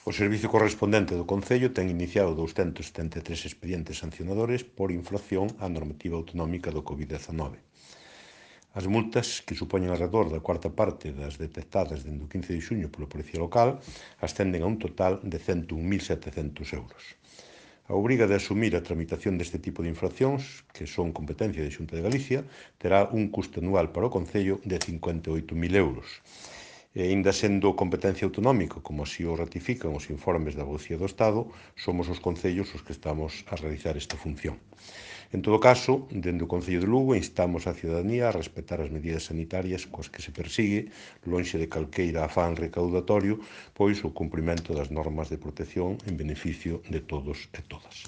O servizo correspondente do Concello ten iniciado 273 expedientes sancionadores por infracción á normativa autonómica do COVID-19. As multas, que supoñen alrededor da cuarta parte das detectadas dende o 15 de xuño pola Policía Local, ascenden a un total de 101.700 euros. A obriga de asumir a tramitación deste tipo de infraccións, que son competencia da Xunta de Galicia, terá un custo anual para o Concello de 58.000 euros. E, aínda sendo competencia autonómica, como así o ratifican os informes da Abogacía do Estado, somos os concellos os que estamos a realizar esta función. En todo caso, dende o Concello de Lugo instamos á cidadanía a respetar as medidas sanitarias coas que se persigue, lonxe de calqueira afán recaudatorio, pois o cumprimento das normas de protección en beneficio de todos e todas.